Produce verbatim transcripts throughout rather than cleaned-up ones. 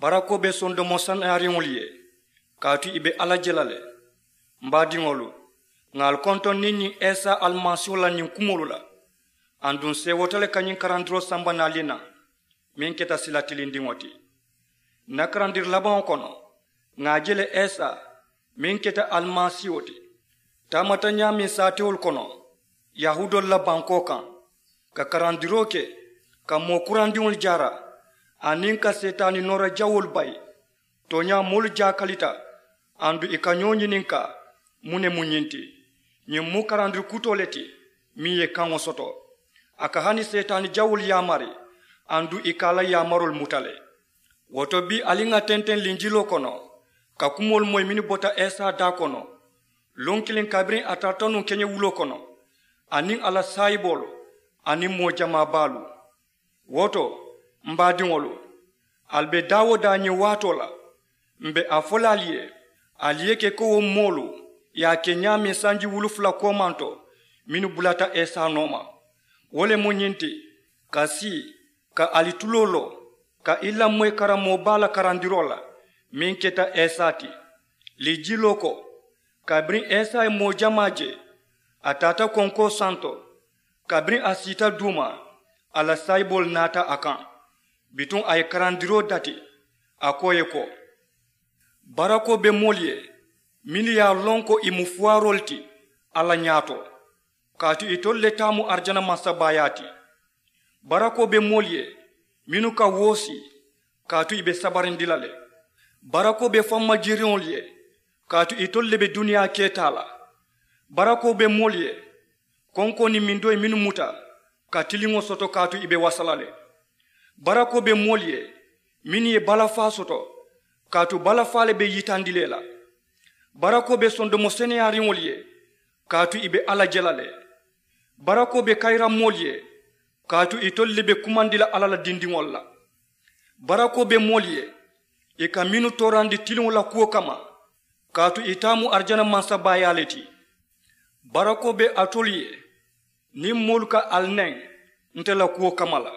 Barakoo be sondomo sanaariŋolu ye, kaatu ì be alla je la le. M baadiŋolu, ŋà ali kontoŋ niŋ ñiŋ isa alimasiiho la ñiŋ kumoolu la. Aduŋ seewoota le ka ñiŋ karandiroo samba naali naŋ, meŋ keta sila tilindiŋo ti. N na karandiri labaŋo kono, ŋà a je le isa, meŋ keta alimasiiho ti, taamata ñaameŋ saatewolu kono yahuudoolu la bankoo kaŋ, ka karandiroo ke, ka moo kurandiŋolu jaara, aniŋ ka seetaani noora jawoolu bayi. Tooñaa moolu jaakalita, aduŋ ì ka ñoo ñininkaa, muŋ ne mu ñiŋ ti? Ñiŋ mu karandiri kutoo le ti, meŋ ye kaŋo soto. A ka hani seetaani jawoolu yaamari, aduŋ ì ka a la yaamaroolu muta le. Wo to bii ali ŋà tenteŋ linjiloo kono, ka kumoolu moyi mennu bota isa daa kono, luŋ kiliŋ kabiriŋ a tarata nuŋ keñewuloo kono, aniŋ a la saayiboolu, aniŋ moo jamaa baalu. Wo to, m baadiŋolu, ali be daa-wo-daa ñiŋ waatoo la, m be a fo la ali ye, ali ye ke ko wo moolu ye a ke ñaameŋ sanji wulu fula koomanto, mennu bulata isa nooma. Wo le mu ñiŋ ti, ka sii, ka ali tuloo loo, ka i lamoyi karammoo baa la karandiroo la, meŋ keta isa ti. Linjiloo ko, kabiriŋ isa ye moo jamaa je, a taata konkoo santo. Kabiriŋ a siita duuma, a la saayiboolu naata a kaŋ. Bituŋ a ye karandiroo dati, a ko ì ye ko, barakoo be moolu ye, mennu ye a loŋ ko ì mu fuwaaroolu ti alla ñaato, kaatu itolu le taa mu arijana mansabaayaa ti. Barakoo be moolu ye, mennu ka woosi, kaatu ì be sabarindi la le. Barakoo be fammajiiriŋolu ye, kaatu itolu le be duniyaa kee taa la. Barakoo be moolu ye, konkoo niŋ mindoyi mennu muta, ka tiliŋo soto, kaatu ì be wasa la le. Barakoo be moolu ye, mennu ye balafaa soto, kaatu balafaa le be yitandi le la. Barakoo be sondomo seneyaariŋolu ye, kaatu ì be alla je la le. Barakoo be kayiramoolu ye, kaatu itolu le be kumandi la alla la dindiŋolu la. Barakoo be moolu ye, ì ka mennu toorandi tiliŋo la kuwo kamma, kaatu ì taa mu arijana mansabaayaa le ti. Barakoo be alitolu ye, niŋ moolu ka ali neŋ nte la kuwo kamma la,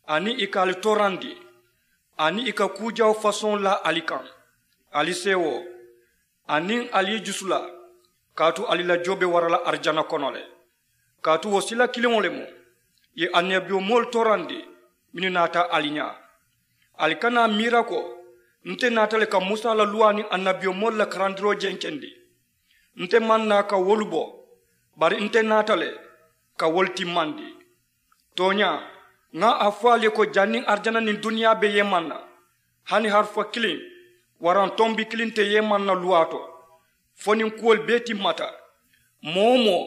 aniŋ ì ka ali toorandi, aniŋ ì ka kuu jawo fasoŋo laa ali kaŋ, ali seewoo, aniŋ ali i jusu la, kaatu ali la joo be wara la arijana kono le. Kaatu wo sila kiliŋo le mu, ì ye annabiyomoolu toorandi, mennu naata ali ñaa. Ali kana a miira ko nte naata le ka musa la luwaa niŋ annabiyomoolu la karandiroo jenkendi. Nte maŋ naa ka wolu bo, bari nte naata le ka wolu timmandi. Tooñaa, ŋa a fo ali ye ko janniŋ arijana niŋ duniyaa be yeemaŋ na, hani harifa kiliŋ waraŋ tombi kiliŋ te yeemaŋ na luwaa to, fo niŋ kuwolu bee timmata. Moo-wo-moo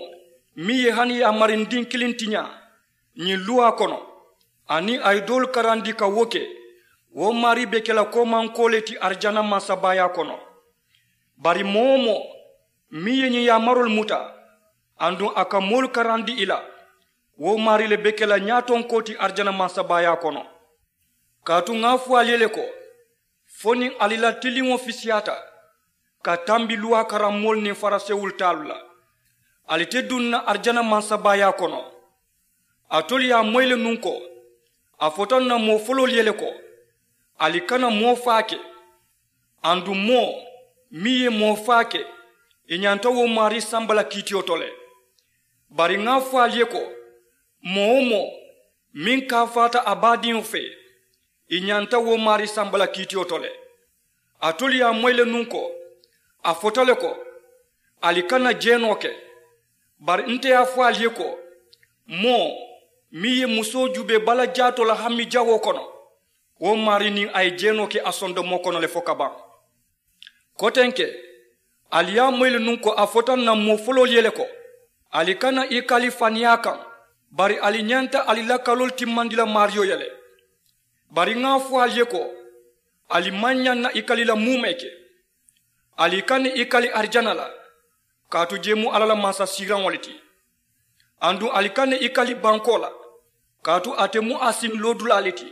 meŋ ye hani yaamarindii kiliŋ tiñaa ñiŋ luwaa kono, aniŋ a ye doolu karandi ka wo ke, wo maarii be ke la koomankoo le ti arijana mansabaayaa kono. Bari moo-wo-moo meŋ ye ñiŋ yaamaroolu muta, aduŋ a ka moolu karandi ì la, wo maarii le be ke la ñaatonkoo ti arijana mansabaayaa kono. Kaatu ŋa a fo ali ye le ko, fo niŋ ali la tiliŋo fisiyaata ka tambi luwaa karammoolu niŋ farisewolu taalu la, ali te duŋ na arijana mansabaayaa kono. Alitolu ye a moyi le nuŋ ko, a fota ǹ na moo foloolu ye le ko, ali kana moo faa ke. Aduŋ moo meŋ ye moo faa ke, ì ñanta wo maarii samba la kiitiyo to le. Bari ŋa a fo ali ye ko, moo-wo-moo meŋ kaafaata a baadiŋo fee, ì ñanta wo maarii samba la kiitiyo to le. Alitolu ye a moyi le nuŋ ko, a fota le ko, ali kana jeenoo ke. Bari nte ye a fo ali ye ko, moo meŋ ye musoo juubee bala jaatoo la hami jawoo kono, wo maarii niŋ a ye jeenoo ke a sondomoo kono le fo ka baŋ. Kotenke, ali ye a moyi le nuŋ ko a fota ǹ na moo foloolu ye le ko, ali kana i kali faniyaa kaŋ, bari ali ñanta ali la kaloolu timmandi la maariyo ye le. Bari ŋa a fo ali ye ko, ali maŋ ñaŋ na i kali la muumee ke. Ali kana i kali arijana la, kaatu jee mu alla la mansasiiraŋo le ti. Aduŋ ali kana i kali bankoo la, kaatu ate mu a siŋ loodulaa le ti.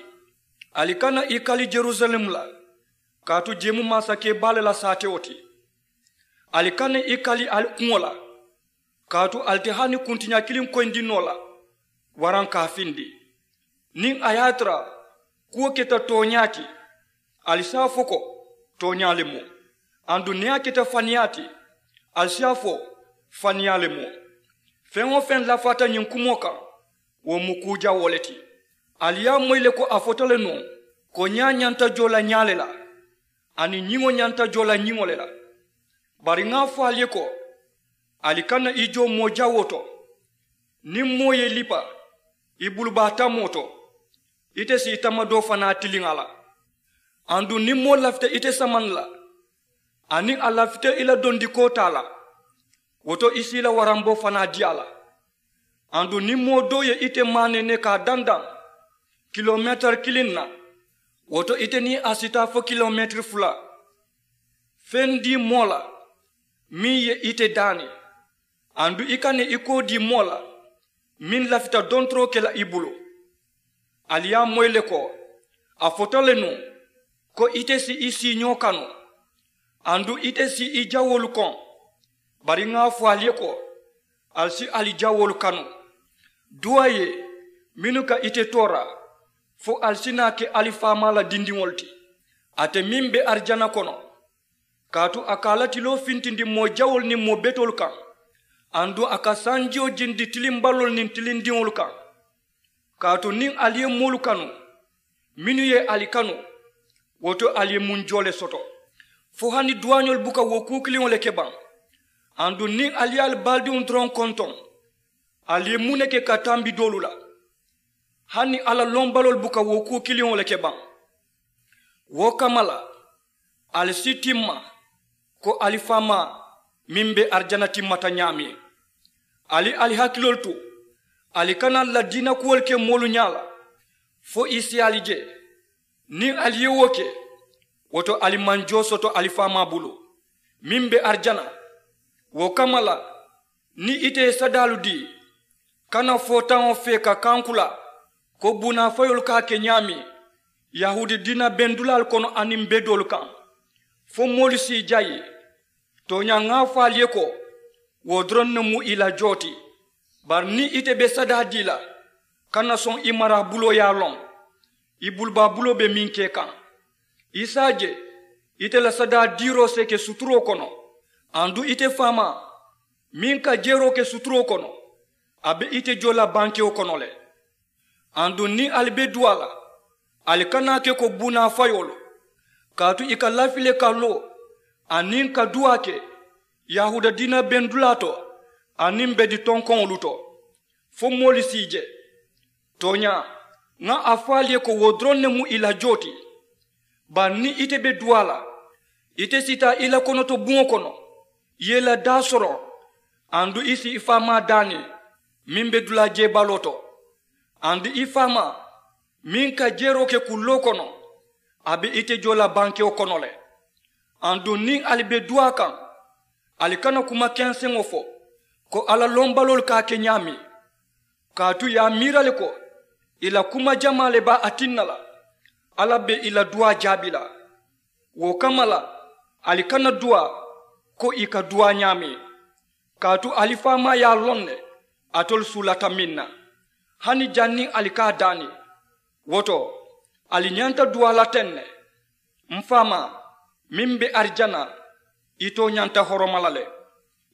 Ali kana i kali jerusalem la, kaatu jee mu mansakee baa le la saatewo ti. Ali kana i kali ali kuŋo la, kaatu ali te hani kuntiña kiliŋ koyindi noo la, waraŋ ka a findi. Niŋ a ye a tara kuwo keta tooñaa ti, Ali si a fo ko, tooñaa le mu. Aduŋ niŋ a keta faniyaa ti, ali si a fo, faniyaa le mu. Feŋ-wo-feŋ lafaata ñiŋ kumoo kaŋ, wo mu kuu jawoo le ti. Ali ye a moyi le ko a fota le nuŋ, ko ñaa ñanta joo la ñaa le la, aniŋ ñiŋo ñanta joo la ñiŋo le la. Bari ŋa a fo ali ye ko, ali kana i joo moo jawoo to. Niŋ moo ye i lipa i bulubaa tamoo to, ite si i tamadoo fanaa tiliŋ a la. Aduŋ niŋ moo lafita ite samaŋ la, aniŋ a lafita i la dondikoo taa la, wo to i si i la waramboo fanaa dii a la. Aduŋ niŋ moo doo ye ite maanene ka a dandaŋ kilomeetiri kiliŋ na, wo to ite niŋ a si taa fo kilomeetiri fula. Feŋ dii moo la meŋ ye ite daani, aduŋ i kana i koo dii moo la meŋ lafita dontoroo ke la i bulu. Ali ye a moyi le ko a fota le nuŋ, ko ite si i siiñoo kanu, aduŋ ite si i jawoolu koŋ. Bari ŋa a fo ali ye ko, ali si ali jawoolu kanu. Duwaa ye mennu ka ite toora, fo ali si naa ke ali faamaa la dindiŋolu ti, ate meŋ be arijana kono. Kaatu a ka a la tiloo fintindi moo jawoolu niŋ moo betoolu kaŋ, aduŋ a ka sanjiyo jindi tilimbaloolu niŋ tilindiŋolu kaŋ. Kaatu niŋ ali ye moolu kanu mennu ye ali kanu, wo to ali ye muŋ joo le soto? Fo hani duwaañolu buka wo kuu kiliŋo le ke baŋ? Aduŋ niŋ ali ye ali baadiŋo doroŋ kontoŋ, ali ye muŋ ne ke ka tambi doolu la? Hani alla lombaloolu buka wo kuu kiliŋo le ke baŋ? Wo kamma la, ali si timma ko ali faamaa meŋ be arijana timmata ñaameŋ. Ali ali hakiloolu tu, ali kana ladiina kuwolu ke moolu ñaa la, fo i si ali je. Niŋ ali ye wo ke, wo to ali maŋ joo soto ali faamaa bulu meŋ be arijana. Wo kamma la, niŋ ite ye sadaalu dii, kana footaŋo fee ka kankula ko buunaafayoolu ka a ke ñaameŋ yahuudi diina bendulaalu kono aniŋ bedoolu kaŋ, fo moolu si i jayi. Tooñaa ŋa a fo ali ye ko, wo doroŋ ne mu i la joo ti. Bari niŋ ite be sadaa dii la, kana soŋ i maraa buloo ye a loŋ i bulubaa buloo be meŋ ke kaŋ. I si a je ite la sadaa diiroo si ke suturoo kono, aduŋ ite faamaa meŋ ka jeeroo ke suturoo kono, a be ite joo la bankewo kono le. Aduŋ niŋ ali be duwaa la, ali kana a ke ko buunaa fayoolu, kaatu i ka lafi le ka loo aniŋ ka duwaa ke yahuuda diina bendulaa to aniŋ bedi tonkoŋolu to, fo moolu si i je. Tooñaa, ŋa a fo ali ye ko wo doroŋ ne mu i la joo ti. Bari niŋ ite be duwaa la, ite si taa i la konoto buŋo kono, i ye i la daa soroŋ, aduŋ i si i faamaa daani meŋ be dulaa jeebaloo to. Aduŋ i faamaa meŋ ka jeeroo ke kulloo kono, a be ite joo la bankewo kono le. Aduŋ niŋ ali be duwaa kaŋ, ali kana kuma kenseŋo fo ko alla lombaloolu ka a ke ñaameŋ. Kaatu i ye a miira le ko i la kuma jamaa le be a tinna la alla be i la duwaa jaabi la. Wo kamma la, ali kana duwaa ko i ka duwaa ñaameŋ. Kaatu ali faamaa ye a loŋ ne alitolu suulata meŋ na, hani janniŋ ali ka a daani. Wo to, ali ñanta duwaa la teŋ ne. M faamaa meŋ be arijana, i tooñanta horoma la le.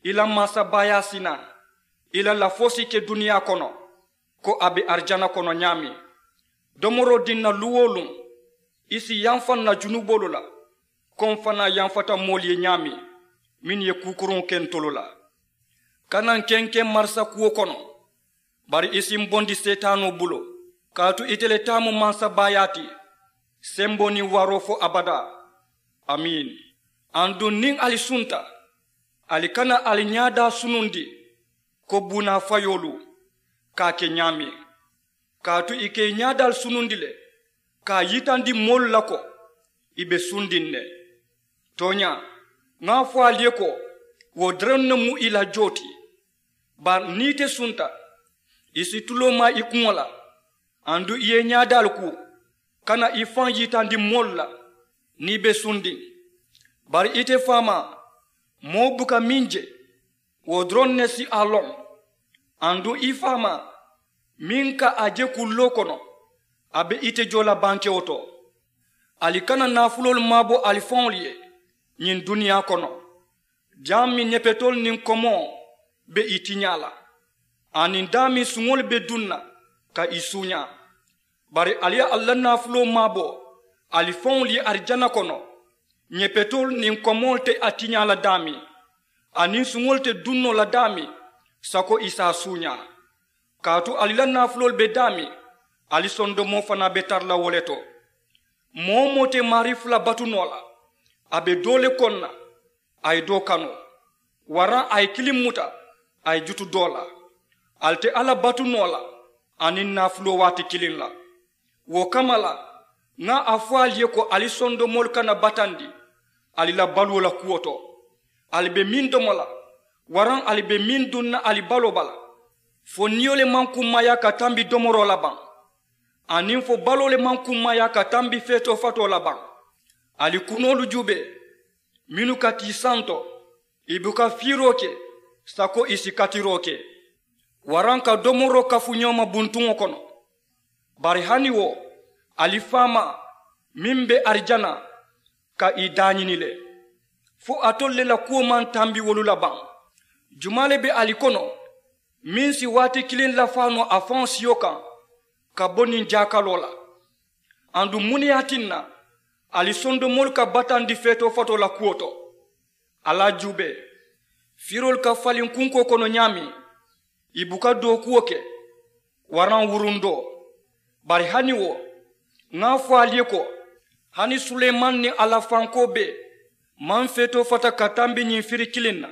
I la mansabaayaa si naa, i la lafoo si ke duniyaa kono ko a be arijana kono ñaameŋ. Domoroo diŋ na luŋ-wo-luŋ, i si yamfa n na junuboolu la, ko m fanaa yamfata moolu ye ñaameŋ mennu ye kuukuruŋo ke ntolu la. Kana n kenkeŋ marisa kuwo kono, bari i si m bondi seetaanoo bulu. Kaatu ite le taa mu mansabaayaa ti, semboo niŋ waaroo fo abadaa. Amiin. Aduŋ niŋ ali sunta, ali kana ali ñaadaa sunundi ko buunaa fayoolu ka a ke ñaameŋ. Kaatu i ka i ñaadaalu sunundi le ka a yitandi moolu la ko i be sundiŋ ne. Tooñaa, ŋa a fo ali ye ko wo doroŋ ne mu i la joo ti. Bari niŋ ite sunta, i si tuloo maa i kuŋo la, aduŋ i ye i ñaadaalu kuu kana i faŋ yitandi moolu la niŋ i be sundiŋ. Bari ite faamaa, moo buka meŋ je, wo doroŋ ne si a loŋ. Aduŋ i faamaa meŋ ka a je kulloo kono, a be ite joo la bankewo to. Ali kana naafuloolu maabo ali faŋolu ye ñiŋ duniyaa kono, daameŋ ñepetoolu niŋ komoo be ì tiñaa la, aniŋ daameŋ suŋolu be duŋ na ka ì suuñaa. Bari ali ye ali la naafuloo maabo ali faŋolu ye arijana kono, ñepetoolu niŋ komoolu te a tiñaa la daameŋ, aniŋ suŋolu te duŋ noo la daameŋ sako ì si a suuñaa. Kaatu ali la naafuloolu be daameŋ, ali sondomoo fanaa be tara la wo le to. Moo-wo-moo te maarii fula batu noo la, a be doo le koŋ na, a ye doo kanu, waraŋ a ye kiliŋ muta, a ye jutu doo la. Ali te alla batu noo la aniŋ naafuloo waati kiliŋ la. Wo kamma la, ŋa a fo ali ye ko ali sondomoolu kana batandi ali la baluwo la kuwo to. Ali be meŋ domo la, waraŋ ali be meŋ duŋ na ali baloo bala, fo niyo le maŋ kummaayaa ka tambi domoroo la baŋ, aniŋ fo baloo le maŋ kummaayaa ka tambi feetoo fatoo la baŋ. Ali kunoolu juubee, mennu ka tii santo, ì buka fiiroo ke sako ì si katiroo ke, waraŋ ka domoroo kafu ñoo ma buntuŋo kono. Bari hani wo, ali faamaa meŋ be arijana ka ì daañini le, fo alitolu le la kuwo maŋ tambi wolu la baŋ? Jumaa le be ali kono meŋ si waati kiliŋ lafaa noo a faŋo siyo kaŋ ka bo niŋ jaakaloo la? Aduŋ muŋ ne ye a tinna ali sondomoolu ka batandi feetoo fatoo la kuwo to? Ali a juubee, firoolu ka faliŋ kunkoo kono ñaameŋ, ì buka dookuwo ke, waraŋ wurundoo. Bari hani wo, ŋa a fo ali ye ko, hani suleemani niŋ a la fankoo bee maŋ feetoo fata ka tambi ñiŋ firi kiliŋ na.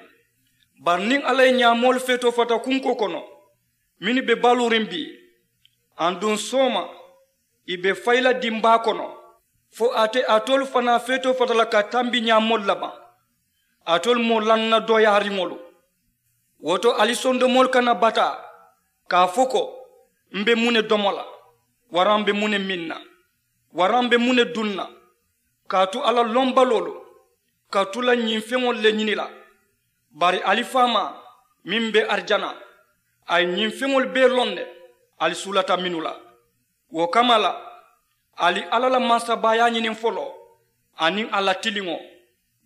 Bari niŋ alla ye ñaamoolu feetoo fata kunkoo kono mennu be baluuriŋ bii, aduŋ sooma ì be fayi la dimbaa kono, fo a te alitolu fanaa feetoo fata la ka tambi ñaamoolu la baŋ? Alitolu moo lanna dooyaariŋolu. Wo to ali sondomoolu kana bataa ka a fo ko, m be muŋ ne domo la, waraŋ m be muŋ ne miŋ na, waraŋ m be muŋ ne duŋ na? Kaatu alla lombaloolu ka tu la ñiŋ feŋolu le ñini la. Bari ali faamaa meŋ be arijana, a ye ñiŋ feŋolu bee loŋ ne ali suulata mennu la. Wo kamma la, ali alla la mansabaayaa ñiniŋ foloo aniŋ a la tiliŋo,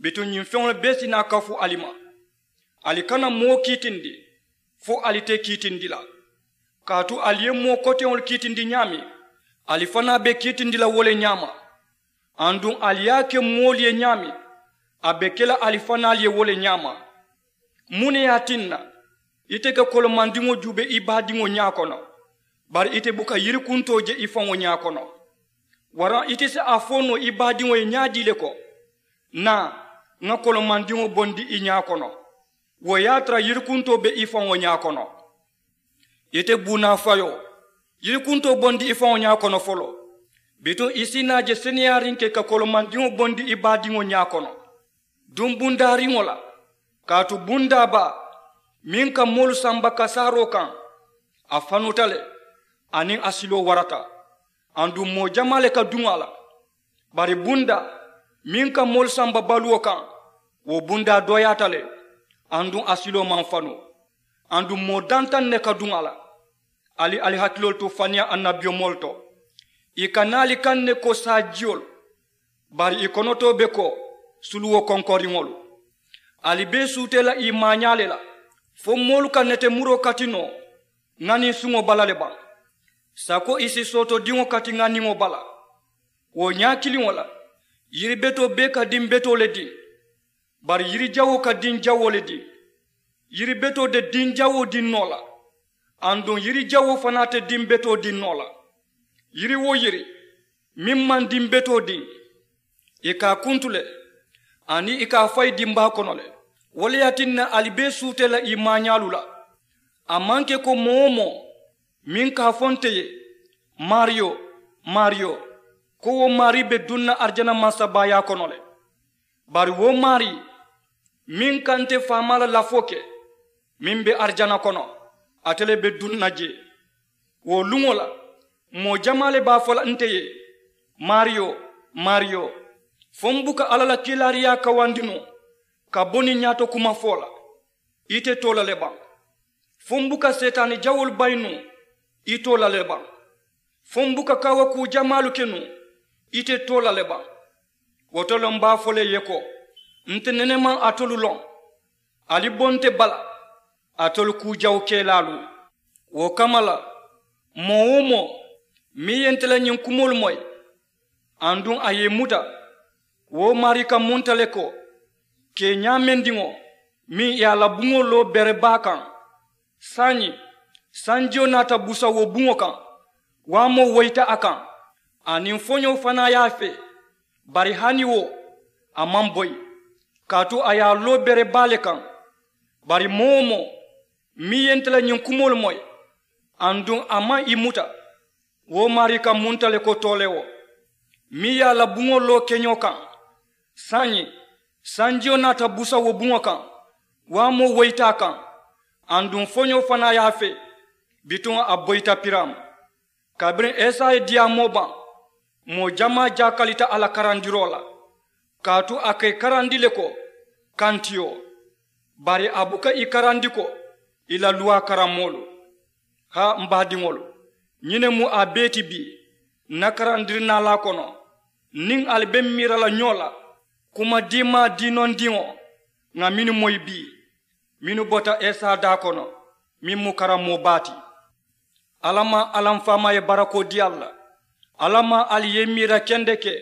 bituŋ ñiŋ feŋolu bee si naa kafu ali ma. Ali kana moo kiitindi fo ali te kiitindi la. Kaatu ali ye moo koteŋolu kiitindi ñaameŋ, ali fanaa be kiitindi la wo le ñaama. Aduŋ ali ye a ke moolu ye ñaameŋ, a be ke la ali fanaalu ye wo le ñaama. Muŋ ne ye a tinna ite ka kolomandiŋo juubee i baadiŋo ñaa kono, bari ite buka yirikuntoo je i faŋo ñaa kono? Waraŋ ite si a fo noo i baadiŋo ye ñaadii le ko, naa, ŋa kolomandiŋo bondi i ñaa kono? Wo ye a tara yirikuntoo be i faŋo ñaa kono. Ite buunaafayoo, yirikuntoo bondi i faŋo ñaa kono foloo, bituŋ i si naa je seneyaariŋ ke ka kolomandiŋo bondi i baadiŋo ñaa kono. Duŋ bundaariŋo la, kaatu bundaa baa meŋ ka moolu samba kasaaroo kaŋ, a fanuta le, aniŋ a siloo warata. Aduŋ moo jamaa le ka duŋ a la. Bari bundaa meŋ ka moolu samba baluwo kaŋ, wo bundaa dooyaata le, aduŋ a siloo maŋ fanu. Aduŋ moo dantaŋ ne ka duŋ a la. Ali ali hakiloolu tu faniyaa annabiyomoolu to, ì ka naa ali kaŋ ne ko saajiyolu, bari ì konotoo be ko suluwo konkoriŋolu. Ali bee suutee la ì maañaa le la, fo moolu ka netemuroo kati noo ŋaniŋ suŋo bala le baŋ, sako ì si sootodiŋo kati ŋaniŋo bala. Wo ñaa kiliŋo la, yiri betoo bee ka diŋ betoo le diŋ, bari yiri jawoo ka diŋ jawoo le diŋ. Yiri betoo te diŋ jawoo diŋ noo la, aduŋ yiri jawoo fanaa te diŋ betoo diŋ noo la. Yiri-wo-yiri meŋ maŋ diŋ betoo diŋ, ì ka a kuntu le, aniŋ ì ka a fayi dimbaa kono le. Wo le ye a tinna ali bee suutee la ì maañaalu la. A maŋ ke ko moo-wo-moo meŋ ka a fo nte ye, maariyo, maariyo, ko wo maarii be duŋ na arijana mansabaayaa kono le. Bari wo maarii meŋ ka nte faamaa la lafoo ke, meŋ be arijana kono, ate le be duŋ na jee. Wo luŋo la, moo jamaa le be a fo la nte ye, maariyo, maariyo, fo m buka alla la kiilaariyaa kawandi noo ka bo niŋ ñaato kuma fo la? Ite too la le baŋ? Fo m buka seetaani jawoolu bayi nuŋ? Ite too la le baŋ? Fo m buka kaawakuu jamaalu ke nuŋ? Ite too la le baŋ? Wo to le m be a fo le i ye ko, nte nene maŋ alitolu loŋ. Ali bonte bala, alitolu kuu jawukelaalu. Wo kamma la, moo-wo-moo meŋ ye nte la ñiŋ kumoolu moyi, aduŋ a ye i muta, wo maarii ka munta le ko, kee ñaamendiŋo meŋ ye a la buŋo loo bere baa kaŋ. Saayiŋ sanjiyo naata busa wo buŋo kaŋ, waamoo woyita a kaŋ, aniŋ foñoo fanaa ye a fee. Bari hani wo, a maŋ boyi, kaatu a ye a loo bere baa le kaŋ. Bari moo-wo-moo meŋ ye nte la ñiŋ kumoolu moyi, aduŋ a maŋ i muta, wo maarii ka munta le ko toolewo meŋ ye a la buŋo loo keñoo kaŋ. Saayiŋ sanjiyo naata busa wo buŋo kaŋ, waamoo woyita a kaŋ, aduŋ foñoo fanaa ye a fee. Bituŋ a boyita piraama. Kabiriŋ esa ye diyaamoo baŋ, moo jamaa jaakalita a la karandiroo la, kaatu a ka i karandi le ko kantiyo. Bari a buka i karandi ko i la luwaa karammoolu. Haa m baadiŋolu, ñiŋ ne mu a bee ti bii n na karandirinaalaa kono. Niŋ ali be m miira la ñoo la, kuma diimaa diinondiŋo ŋà mennu moyi bii, mennu bota esa daa kono, meŋ mu karammoo baa ti. Alla maŋ alla m faamaa ye barakoo dii ali la. Alla maŋ ali ye i miira kendeke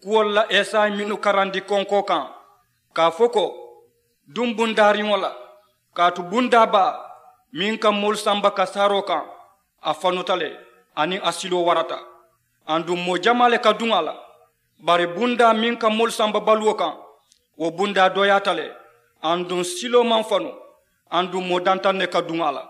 kuwolu la esa ye mennu karandi konkoo kaŋ, ka a fo ko, duŋ bundaariŋo la. Kaatu bundaa baa meŋ ka moolu samba kasaaroo kaŋ, a fanuta le, aniŋ a siloo warata, aduŋ moo jamaa le ka duŋ a la. Bari bundaa meŋ ka moolu samba baluwo kaŋ, wo bundaa dooyaata le, aduŋ siloo maŋ fanu, aduŋ moo dantaŋ ne ka duŋ a la.